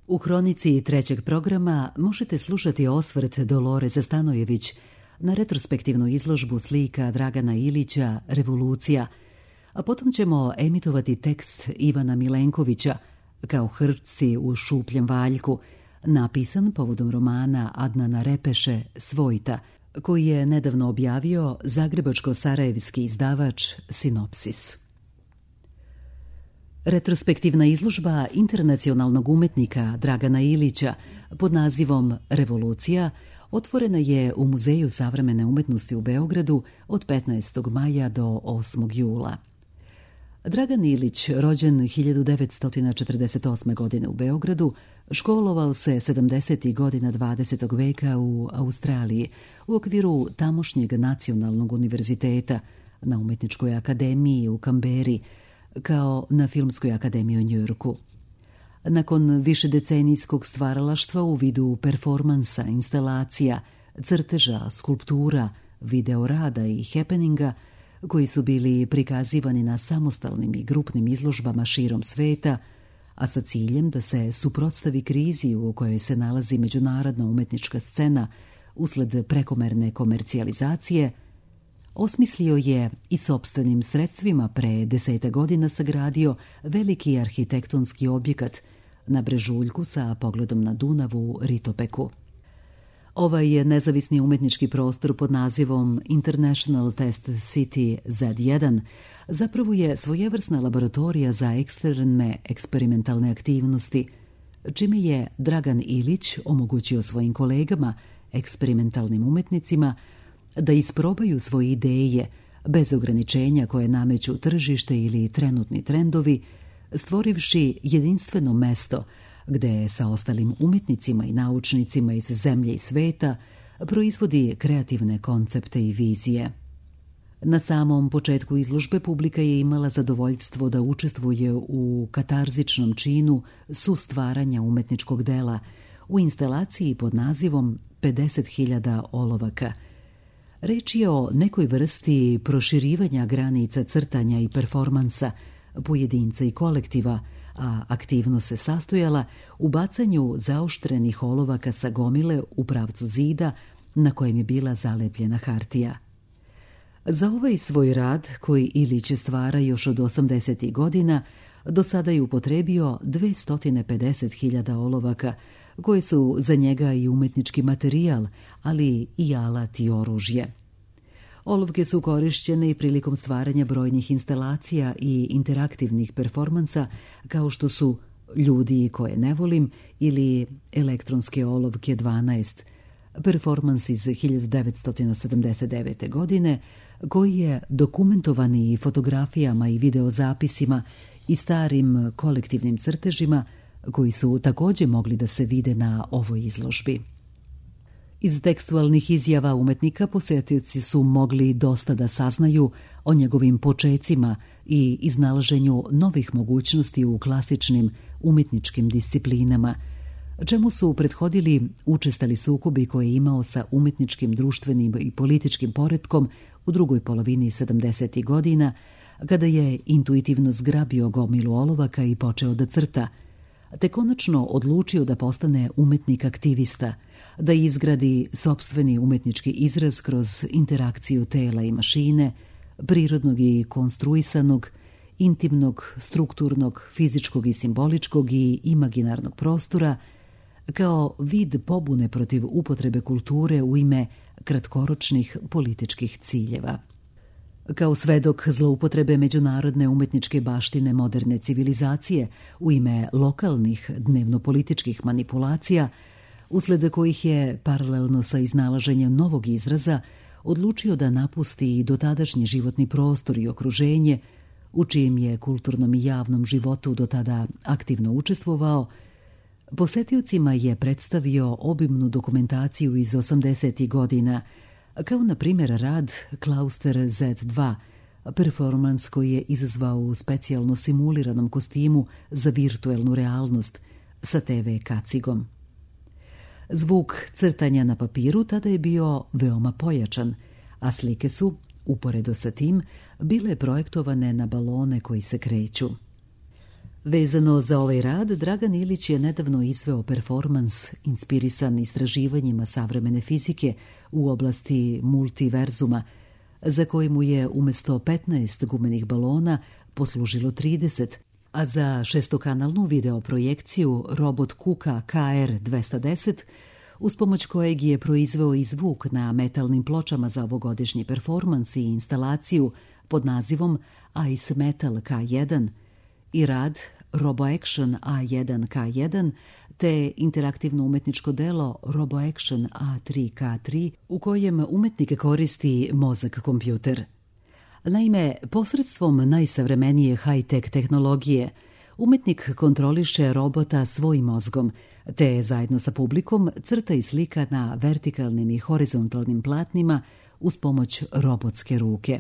U hronici trećeg programa možete slušati osvrt Doloreza Stanojević na retrospektivnu izložbu slika Dragana Ilića Revolucija, a potom ćemo emitovati tekst Ivana Milenkovića Kao hrčci u šupljem valjku, napisan povodom romana Adnana Repeše Svojta, koji je nedavno objavio zagrebačko-sarajevski izdavač Sinopsis. Retrospektivna izložba internacionalnog umetnika Dragana Ilića pod nazivom Revolucija otvorena je u Muzeju savremene umetnosti u Beogradu od 15. maja do 8. jula. Dragan Ilić, rođen 1948. godine u Beogradu, školovao se 70. godina 20. veka u Australiji u okviru tamošnjeg nacionalnog univerziteta, na Umetničkoj akademiji u Kamberi, kao na Filmskoj akademiji u Njujorku. Nakon višedecenijskog stvaralaštva u vidu performansa, instalacija, crteža, skulptura, videorada i happeninga, koji su bili prikazivani na samostalnim i grupnim izložbama širom sveta, a sa ciljem da se suprotstavi krizi u kojoj se nalazi međunarodna umetnička scena usled prekomerne komercijalizacije, osmislio je i sopstvenim sredstvima pre 10 godina sagradio veliki arhitektonski objekat na brežuljku sa pogledom na Dunav u Ritopeku. Ovaj je nezavisni umetnički prostor pod nazivom International Test City Z1 zapravo je svojevrsna laboratorija za ekstremne eksperimentalne aktivnosti, čime je Dragan Ilić omogućio svojim kolegama, eksperimentalnim umetnicima, da isprobaju svoje ideje bez ograničenja koje nameću tržište ili trenutni trendovi, stvorivši jedinstveno mesto gde sa ostalim umjetnicima i naučnicima iz zemlje i sveta proizvodi kreativne koncepte i vizije. Na samom početku izložbe publika je imala zadovoljstvo da učestvuje u katarzičnom činu sustvaranja umetničkog dela u instalaciji pod nazivom 50.000 olovaka. Reč je o nekoj vrsti proširivanja granica crtanja i performansa, pojedinca i kolektiva, a aktivnost se sastojala u bacanju zaoštrenih olovaka sa gomile u pravcu zida na kojem je bila zalepljena hartija. Za ovaj svoj rad, koji Ilić stvara još od 80. godina, do sada je upotrebio 250.000 olovaka, koje su za njega i umetnički materijal, ali i alat i oružje. Olovke su korišćene i prilikom stvaranja brojnih instalacija i interaktivnih performansa, kao što su Ljudi koje ne volim ili Elektronske olovke 12, performans iz 1979. godine, koji je dokumentovan i fotografijama i videozapisima i starim kolektivnim crtežima, koji su također mogli da se vide na ovoj izložbi. Iz tekstualnih izjava umetnika posetioci su mogli dosta da saznaju o njegovim počecima i iznalaženju novih mogućnosti u klasičnim umetničkim disciplinama, čemu su prethodili učestali sukobi koje je imao sa umetničkim, društvenim i političkim poretkom u drugoj polovini 70. godina, kada je intuitivno zgrabio gomilu olovaka i počeo da crta, te konačno odlučio da postane umetnik aktivista, da izgradi sopstveni umetnički izraz kroz interakciju tela i mašine, prirodnog i konstruisanog, intimnog, strukturnog, fizičkog i simboličkog i imaginarnog prostora, kao vid pobune protiv upotrebe kulture u ime kratkoročnih političkih ciljeva. Kao svedok zloupotrebe međunarodne umetničke baštine moderne civilizacije u ime lokalnih dnevno-političkih manipulacija, usled kojih je, paralelno sa iznalaženjem novog izraza, odlučio da napusti dotadašnji životni prostor i okruženje, u čijem je kulturnom i javnom životu do tada aktivno učestvovao, posetiocima je predstavio obimnu dokumentaciju iz 80. godina, kao na primjer rad Klauster Z2, performans koji je izazvao u specijalno simuliranom kostimu za virtuelnu realnost sa TV kacigom. Zvuk crtanja na papiru tada je bio veoma pojačan, a slike su, uporedo sa tim, bile projektovane na balone koji se kreću. Vezano za ovaj rad, Dragan Ilić je nedavno izveo performans inspirisan istraživanjima savremene fizike u oblasti multiverzuma, za koji mu je umjesto 15 gumenih balona poslužilo 30, a za šestokanalnu videoprojekciju robot Kuka KR-210, uz pomoć kojeg je proizveo i zvuk na metalnim pločama za ovogodišnji performans i instalaciju pod nazivom Ice Metal K1 i rad RoboAction A1K1 te interaktivno umetničko delo RoboAction A3K3 u kojem umetnik koristi mozak kompjuter. Naime, posredstvom najsavremenije high-tech tehnologije, umetnik kontroliše robota svojim mozgom, te zajedno sa publikom crta i slika na vertikalnim i horizontalnim platnima uz pomoć robotske ruke.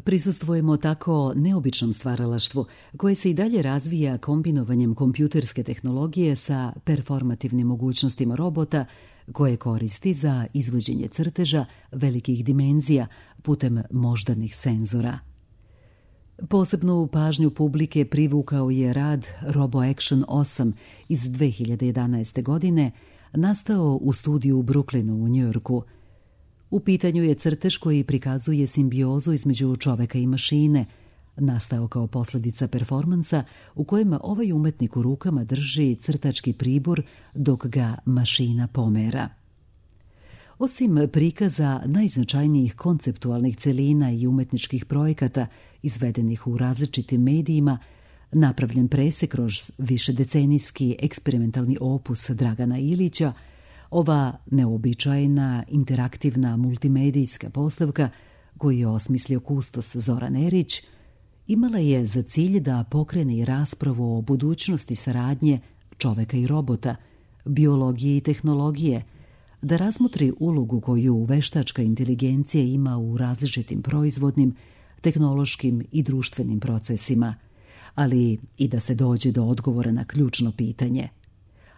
Prisustvujemo tako neobičnom stvaralaštvu koje se i dalje razvija kombinovanjem kompjuterske tehnologije sa performativnim mogućnostima robota koje koristi za izvođenje crteža velikih dimenzija putem moždanih senzora. Posebnu pažnju publike privukao je rad RoboAction 8 iz 2011. godine, nastao u studiju u Brooklynu u Njujorku. U pitanju je crtež koji prikazuje simbiozu između čoveka i mašine, nastao kao posljedica performansa u kojem ovaj umetnik u rukama drži crtački pribor dok ga mašina pomera. Osim prikaza najznačajnijih konceptualnih celina i umetničkih projekata izvedenih u različitim medijima, napravljen presek kroz višedecenijski eksperimentalni opus Dragana Ilića, ova neobičajna interaktivna multimedijska postavka koju je osmislio kustos Zoran Erić, imala je za cilj da pokrene raspravu o budućnosti saradnje čoveka i robota, biologije i tehnologije, da razmotri ulogu koju veštačka inteligencija ima u različitim proizvodnim, tehnološkim i društvenim procesima, ali i da se dođe do odgovora na ključno pitanje.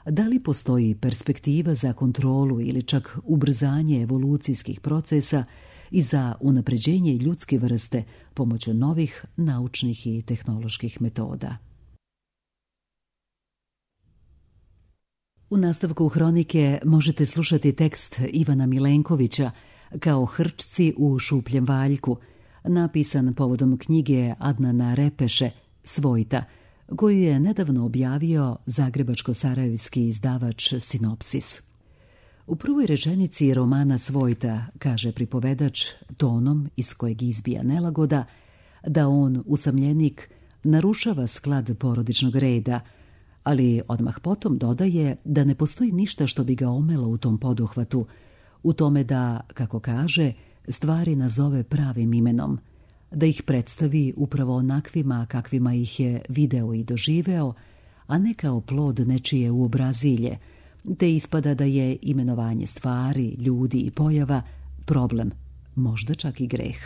Da li postoji perspektiva za kontrolu ili čak ubrzanje evolucijskih procesa i za unapređenje ljudske vrste pomoću novih naučnih i tehnoloških metoda? U nastavku hronike možete slušati tekst Ivana Milenkovića Kao hrčci u šupljem valjku, napisan povodom knjige Adnana Repeše Svojta, koju je nedavno objavio zagrebačko-sarajevski izdavač Sinopsis. U prvoj rečenici romana Svojta kaže pripovedač tonom iz kojeg izbija nelagoda da on, usamljenik, narušava sklad porodičnog reda, ali odmah potom dodaje da ne postoji ništa što bi ga omelo u tom poduhvatu, u tome da, kako kaže, stvari nazove pravim imenom, da ih predstavi upravo onakvima kakvima ih je video i doživeo, a ne kao plod nečije uobrazilje, te ispada da je imenovanje stvari, ljudi i pojava problem, možda čak i greh.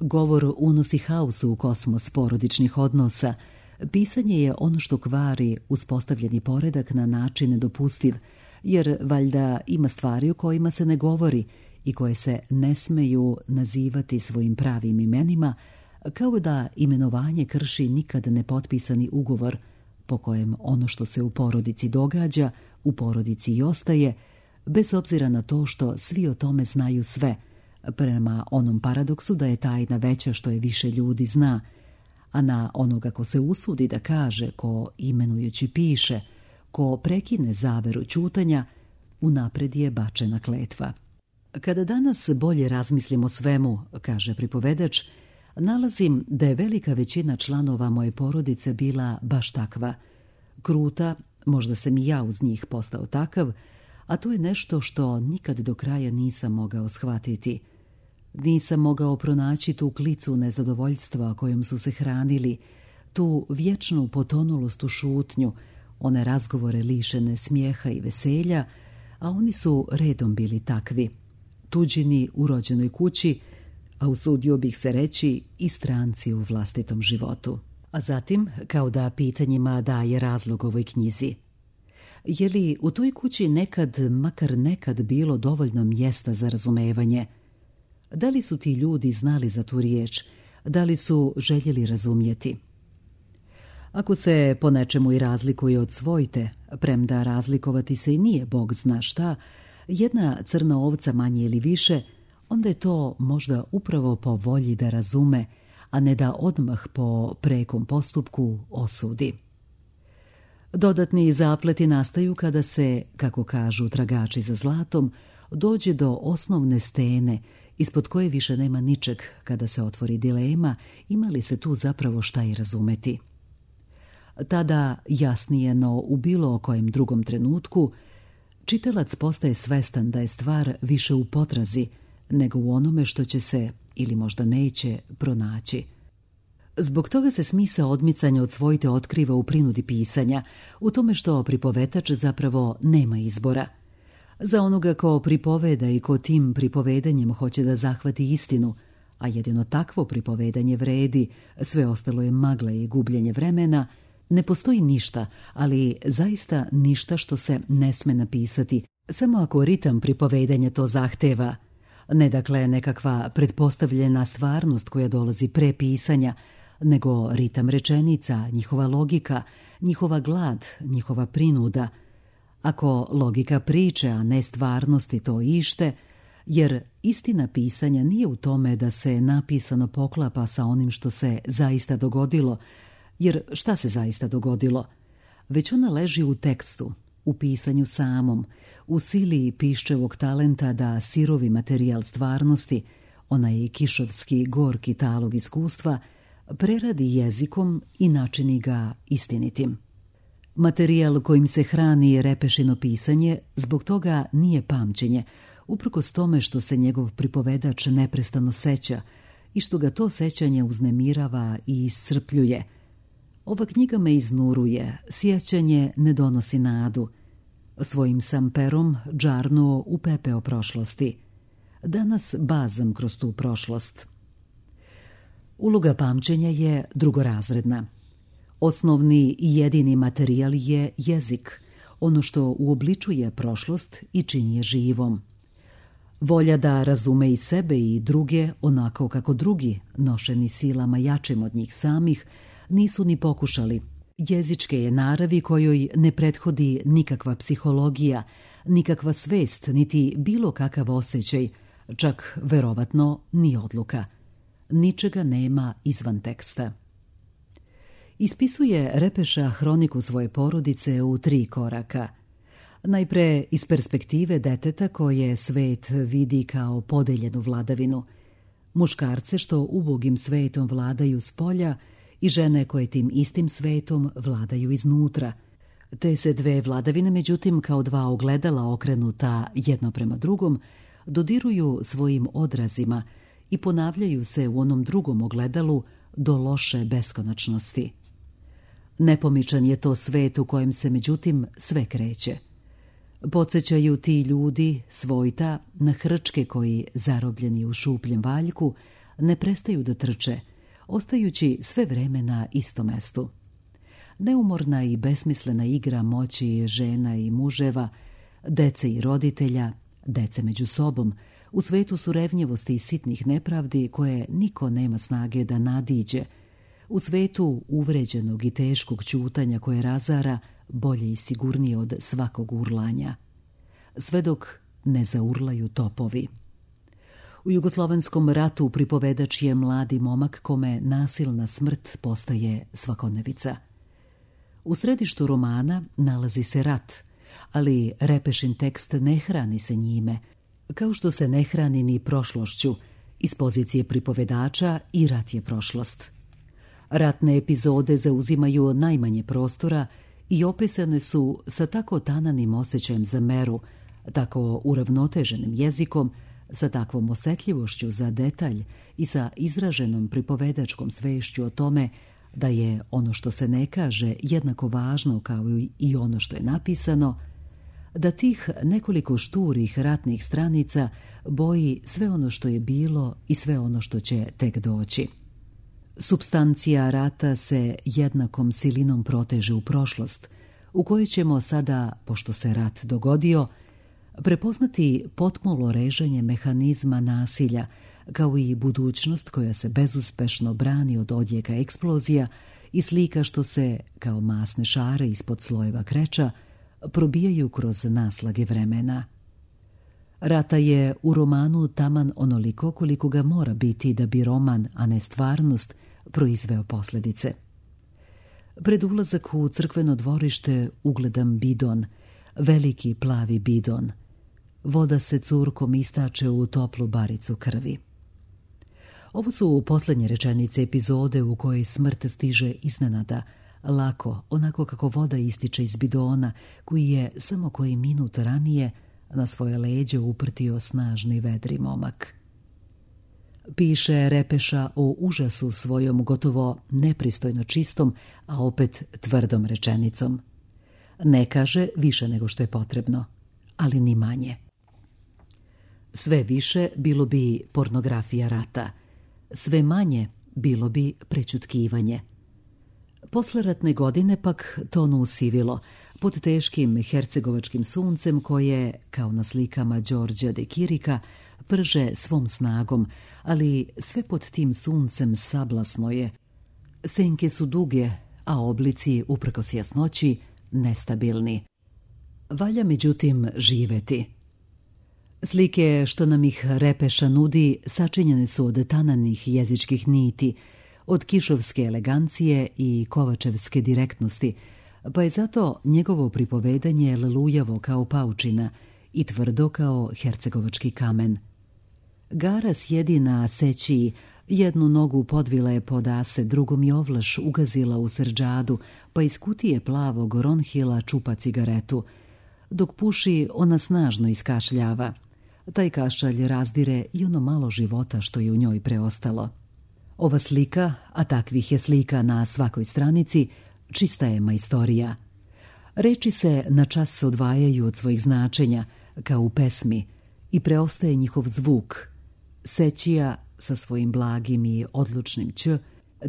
Govor unosi haosu u kosmos porodičnih odnosa. Pisanje je ono što kvari uspostavljeni poredak na način nedopustiv, jer valjda ima stvari o kojima se ne govori i koje se ne smeju nazivati svojim pravim imenima, kao da imenovanje krši nikad nepotpisani ugovor po kojem ono što se u porodici događa, u porodici i ostaje, bez obzira na to što svi o tome znaju sve, prema onom paradoksu da je tajna veća što je više ljudi zna, a na onoga ko se usudi da kaže, ko imenujući piše, ko prekine zaveru ćutanja, unapred je bačena kletva. Kada danas bolje razmislim o svemu, kaže pripovedač, nalazim da je velika većina članova moje porodice bila baš takva. Kruta, možda sam i ja uz njih postao takav, a to je nešto što nikad do kraja nisam mogao shvatiti. Nisam mogao pronaći tu klicu nezadovoljstva kojom su se hranili, tu vječnu potonulost u šutnju, one razgovore lišene smijeha i veselja, a oni su redom bili takvi. Tuđini u rođenoj kući, a usudio bih se reći i stranci u vlastitom životu. A zatim, kao da pitanjima daje razlog ovoj knjizi. Je li u toj kući nekad, makar nekad, bilo dovoljno mjesta za razumevanje? Da li su ti ljudi znali za tu riječ? Da li su željeli razumjeti? Ako se po nečemu i razlikuje od svojte, premda razlikovati se i nije bog zna šta, jedna crna ovca manje ili više, onda je to možda upravo po volji da razume, a ne da odmah po prekom postupku osudi. Dodatni zapleti nastaju kada se, kako kažu tragači za zlatom, dođe do osnovne stene ispod koje više nema ničeg kada se otvori dilema ima li se tu zapravo šta i razumeti. Tada, jasnije no u bilo kojem drugom trenutku, čitalac postaje svestan da je stvar više u potrazi nego u onome što će se, ili možda neće, pronaći. Zbog toga se smisao odmicanja od svojte otkriva u prinudi pisanja, u tome što pripovetač zapravo nema izbora. Za onoga ko pripoveda i ko tim pripovedanjem hoće da zahvati istinu, a jedino takvo pripovedanje vredi, sve ostalo je magla i gubljenje vremena, ne postoji ništa, ali zaista ništa što se ne sme napisati, samo ako ritam pripovedanja to zahteva. Ne dakle nekakva pretpostavljena stvarnost koja dolazi pre pisanja, nego ritam rečenica, njihova logika, njihova glad, njihova prinuda. Ako logika priče, a ne stvarnosti, to ište, jer istina pisanja nije u tome da se napisano poklapa sa onim što se zaista dogodilo, jer šta se zaista dogodilo? Već ona leži u tekstu, u pisanju samom, u sili piščevog talenta da sirovi materijal stvarnosti, onaj kišovski gorki talog iskustva, preradi jezikom i načini ga istinitim. Materijal kojim se hrani Repešino pisanje zbog toga nije pamćenje, uprkos tome što se njegov pripovedač neprestano seća i što ga to sećanje uznemirava i iscrpljuje. Ova knjiga me iznuruje, sjećanje ne donosi nadu. Svojim sam perom džarnuo u pepeo prošlosti. Danas bazam kroz tu prošlost. Uloga pamćenja je drugorazredna. Osnovni i jedini materijal je jezik, ono što uobličuje prošlost i čini je živom. Volja da razume i sebe i druge onako kako drugi, nošeni silama jačim od njih samih, nisu ni pokušali. Jezičke je naravi kojoj ne prethodi nikakva psihologija, nikakva svest, niti bilo kakav osjećaj, čak verovatno ni odluka. Ničega nema izvan teksta. Ispisuje Repeša hroniku svoje porodice u 3 koraka. Najpre iz perspektive deteta koje svet vidi kao podeljenu vladavinu, muškarce što ubogim svetom vladaju s polja i žene koje tim istim svetom vladaju iznutra. Te se 2 vladavine, međutim, kao 2 ogledala okrenuta jedno prema drugom, dodiruju svojim odrazima i ponavljaju se u onom drugom ogledalu do loše beskonačnosti. Nepomičan je to svet u kojem se, međutim, sve kreće. Podsjećaju ti ljudi, svojta, na hrčke koji, zarobljeni u šupljem valjku, ne prestaju da trče, ostajući sve vreme na istom mestu. Neumorna i besmislena igra moći žena i muževa, dece i roditelja, dece među sobom, u svetu surevnjevosti i sitnih nepravdi koje niko nema snage da nadiđe, u svetu uvređenog i teškog ćutanja koje razara bolje i sigurnije od svakog urlanja. Sve dok ne zaurlaju topovi. U Jugoslovenskom ratu pripovedač je mladi momak kome nasilna smrt postaje svakodnevica. U središtu romana nalazi se rat, ali Repešin tekst ne hrani se njime, kao što se ne hrani ni prošlošću. Iz pozicije pripovedača i rat je prošlost. Ratne epizode zauzimaju najmanje prostora i opisane su sa tako tananim osjećajem za meru, tako uravnoteženim jezikom, sa takvom osjetljivošću za detalj i sa izraženom pripovedačkom svešću o tome da je ono što se ne kaže jednako važno kao i ono što je napisano, da tih nekoliko šturih ratnih stranica boji sve ono što je bilo i sve ono što će tek doći. Supstancija rata se jednakom silinom proteže u prošlost, u kojoj ćemo sada, pošto se rat dogodio, prepoznati potmulo reženje mehanizma nasilja, kao i budućnost koja se bezuspešno brani od odjeka eksplozija i slika što se, kao masne šare ispod slojeva kreča, probijaju kroz naslage vremena. Rata je u romanu taman onoliko koliko ga mora biti da bi roman, a ne stvarnost, proizveo posljedice. Pred ulazak u crkveno dvorište ugledam bidon, veliki plavi bidon. Voda se curkom istače u toplu baricu krvi. Ovo su posljednje rečenice epizode u kojoj smrt stiže iznenada, lako, onako kako voda ističe iz bidona, koji je samo koji minut ranije na svoje leđe uprtio snažni vedri momak. Piše Repeša o užasu svojom gotovo nepristojno čistom, a opet tvrdom rečenicom. Ne kaže više nego što je potrebno, ali ni manje. Sve više bilo bi pornografija rata, sve manje bilo bi prećutkivanje. Posleratne godine pak tonu usivilo, pod teškim hercegovačkim suncem koje, kao na slikama Đorđa de Kirika, prže svom snagom, ali sve pod tim suncem sablasno je. Senke su duge, a oblici, uprkos jasnoći, nestabilni. Valja međutim živeti. Slike što nam ih Repeša nudi sačinjene su od tananih jezičkih niti, od kišovske elegancije i kovačevske direktnosti, pa je zato njegovo pripovedanje lelujavo kao paučina i tvrdo kao hercegovački kamen. Gara sjedi na sećiji, jednu nogu podvila je pod ase, drugom je ovlaš ugazila u srđadu, pa iz kutije plavog ronhila čupa cigaretu. Dok puši, ona snažno iskašljava. Taj kašalj razdire i ono malo života što je u njoj preostalo. Ova slika, a takvih je slika na svakoj stranici, čista je majstorija. Reči se na čas odvajaju od svojih značenja, kao u pesmi, i preostaje njihov zvuk. Sećija sa svojim blagim i odlučnim ć,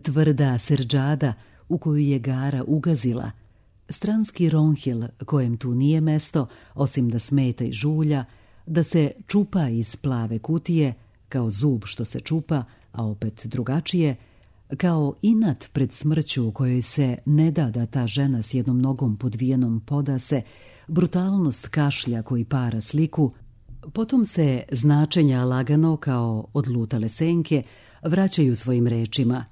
tvrda srđada u koju je Gara ugazila, stranski ronhil kojem tu nije mesto, osim da smeta i žulja, da se čupa iz plave kutije, kao zub što se čupa, a opet drugačije, kao inat pred smrću u kojoj se ne da ta žena s jednom nogom podvijenom podase, brutalnost kašlja koji para sliku, potom se značenja lagano kao odlutale senke vraćaju svojim rečima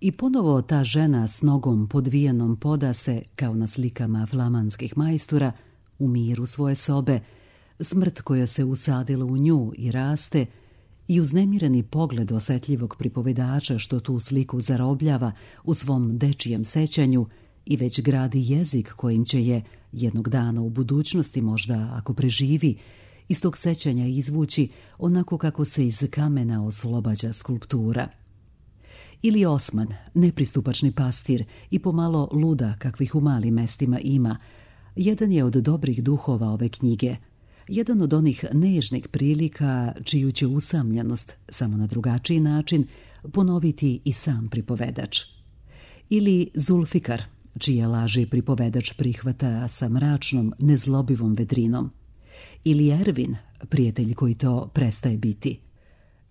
i ponovo ta žena s nogom podvijenom podase, kao na slikama flamanskih majstora, u miru svoje sobe, smrt koja se usadila u nju i raste, i uznemireni pogled osjetljivog pripovedača što tu sliku zarobljava u svom dečijem sećanju i već gradi jezik kojim će je jednog dana u budućnosti, možda ako preživi, iz tog sećanja izvući onako kako se iz kamena oslobađa skulptura. Ili Osman, nepristupačni pastir i pomalo luda kakvih u malim mestima ima, jedan je od dobrih duhova ove knjige, jedan od onih nežnih prilika čiju će usamljenost, samo na drugačiji način, ponoviti i sam pripovedač. Ili Zulfikar, čije laži pripovedač prihvata sa mračnom, nezlobivom vedrinom. Ili Ervin, prijatelj koji to prestaje biti.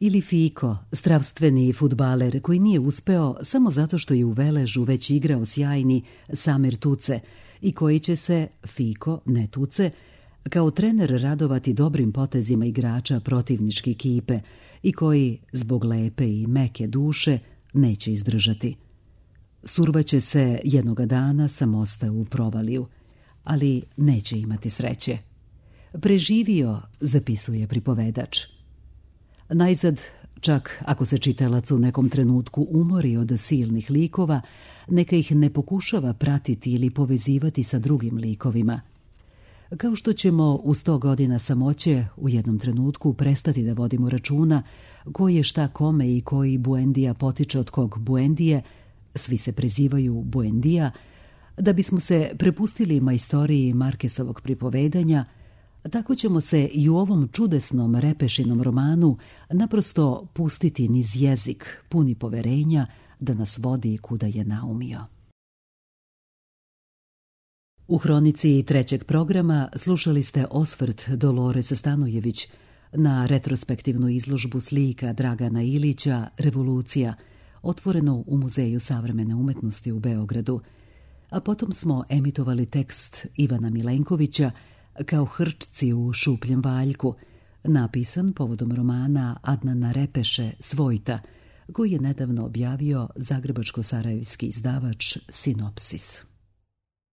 Ili Fiko, stravstveni fudbaler koji nije uspeo samo zato što je u Veležu već igrao sjajni Samir Tuce i koji će se, Fiko, ne Tuce, kao trener radovati dobrim potezima igrača protivničke ekipe i koji, zbog lepe i meke duše, neće izdržati. Survaće se jednoga dana sa mosta u provaliju, ali neće imati sreće. Preživio, zapisuje pripovedač. Najzad, čak ako se čitalac u nekom trenutku umori od silnih likova, neka ih ne pokušava pratiti ili povezivati sa drugim likovima. Kao što ćemo u 100 godina samoće u jednom trenutku prestati da vodimo računa koji je šta kome i koji Buendija potiče od kog Buendije, svi se prezivaju Buendija, da bismo se prepustili majstoriji Markesovog pripovedanja, tako ćemo se i u ovom čudesnom Repešinom romanu naprosto pustiti niz jezik, puni poverenja da nas vodi kuda je naumio. U hronici trećeg programa slušali ste osvrt Dolores Stanojević na retrospektivnu izložbu slika Dragana Ilića Revolucija, otvoreno u Muzeju savremene umetnosti u Beogradu, a potom smo emitovali tekst Ivana Milenkovića Kao hrčci u šupljem valjku, napisan povodom romana Adnana Repeše Svojta, koji je nedavno objavio zagrebačko-sarajevski izdavač Sinopsis.